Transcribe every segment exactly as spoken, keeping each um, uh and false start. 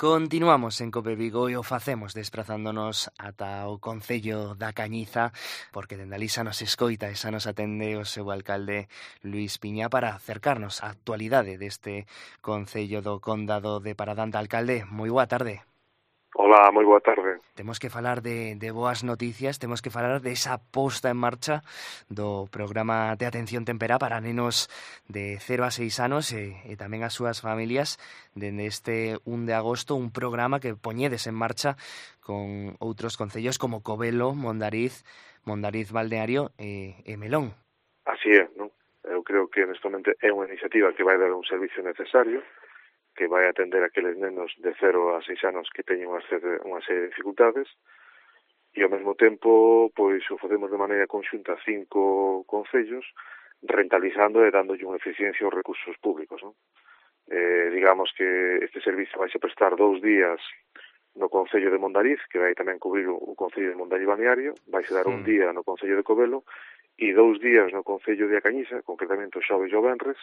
Continuamos en Cope Vigo e o facemos desprazándonos ata o Concello da Cañiza, porque dende alí xa nos escoita e xa nos atende o seu alcalde Luís Piña para acercarnos á actualidade deste Concello do Condado de Paradante. Alcalde, moi boa tarde. Hola, moi boa tarde. Temos que falar de, de boas noticias, temos que falar desa posta en marcha do programa de atención temperá para nenos de cero a seis anos e, e tamén as súas familias dende este un de agosto, un programa que poñedes en marcha con outros concellos como Covelo, Mondariz, Mondariz Balneario e, e Melón. Así é, non? Eu creo que neste momento é unha iniciativa que vai dar un servicio necesario, que vai atender a aqueles nenos de cero a seis anos que teñen unha serie, unha serie de dificultades, e ao mesmo tempo pois o facemos de maneira conxunta cinco concellos, rentalizando e dándolle unha eficiencia aos recursos públicos, non? Eh, digamos que este servicio vai se prestar dous días no Concello de Mondariz, que vai tamén cubrir o Concello de Mondariz Balneario, vai se dar un día no Concello de Covelo e dous días no Concello de A Cañiza, concretamente o xoves e o venres,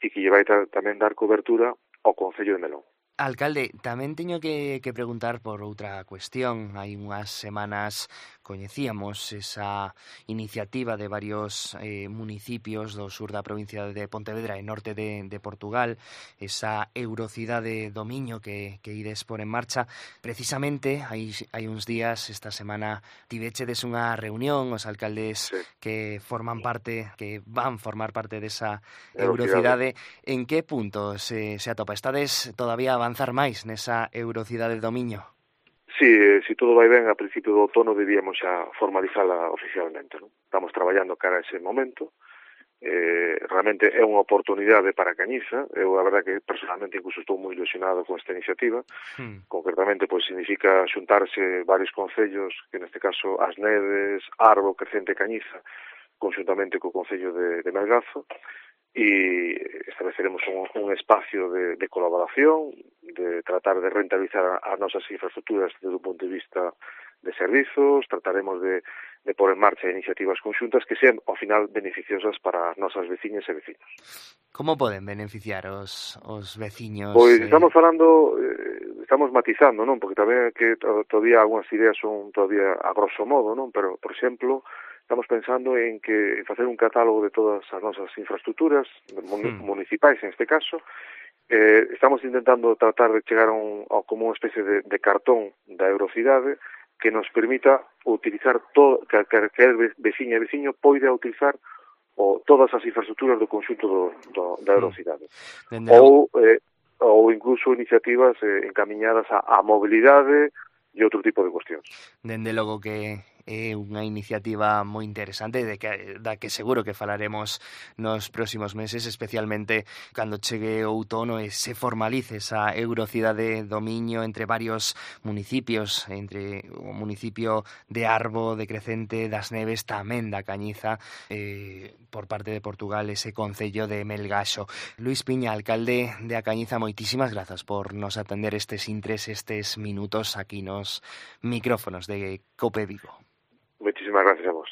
e que lle vai tamén dar cobertura ao Concello de Melón. Alcalde, tamén teño que, que preguntar por outra cuestión. Hai unhas semanas coñecíamos esa iniciativa de varios eh, municipios do sur da provincia de Pontevedra e norte de, de Portugal, esa Eurocidade do Miño que, que ides por en marcha. Precisamente, hai, hai uns días, esta semana, tivechedes unha reunión, os alcaldes sí. que forman parte, que van formar parte desa Eurocidade. En que punto se, se atopa? Estades todavía avanzar máis nesa Eurocidade do Miño? Sí, se todo vai ben, a principio do outono debíamos xa formalizala oficialmente, non? Estamos traballando cara a ese momento. Eh, realmente é unha oportunidade para Cañiza. Eu, a verdade, que personalmente incluso estou moi ilusionado con esta iniciativa. Hmm. Concretamente, pois, significa xuntarse varios concellos, que neste caso As Neves, Arbo, Crecente e Cañiza, conxuntamente co Concello de, de Melgazo, e estableceremos un, un espacio de, de colaboración, de tratar de rentabilizar as nosas infraestructuras desde un punto de vista de servizos, trataremos de, de pôr en marcha iniciativas conxuntas que sean, ao final, beneficiosas para as nosas veciñas e vecinos. Como poden beneficiar os, os veciños? Pois eh... estamos falando, eh, estamos matizando, non? Porque tamén que todavía algunhas ideas son todavía a grosso modo, non? Pero, por exemplo, estamos pensando en que facer un catálogo de todas as nosas infraestructuras hmm. municipais, en este caso. Eh, estamos intentando tratar de chegar a, un, a como unha especie de, de cartón da Eurocidade que nos permita utilizar todo, que calquer veciña e veciño poida utilizar o, todas as infraestructuras do conxunto do, do, da Eurocidade. Hmm. Ou, eh, ou incluso iniciativas eh, encamiñadas a, a mobilidade e outro tipo de cuestións. Dende logo que é unha iniciativa moi interesante de que, da que seguro que falaremos nos próximos meses, especialmente cando chegue o outono e se formalice esa Eurocidade do Miño entre varios municipios, entre o municipio de Arbo, de Crecente, das Neves, tamén da Cañiza, eh, por parte de Portugal, ese concello de Melgaxo. Luís Piña, alcalde de A Cañiza, moitísimas grazas por nos atender estes intres, estes minutos aquí nos micrófonos de Cope Vigo. Muchísimas gracias a vos.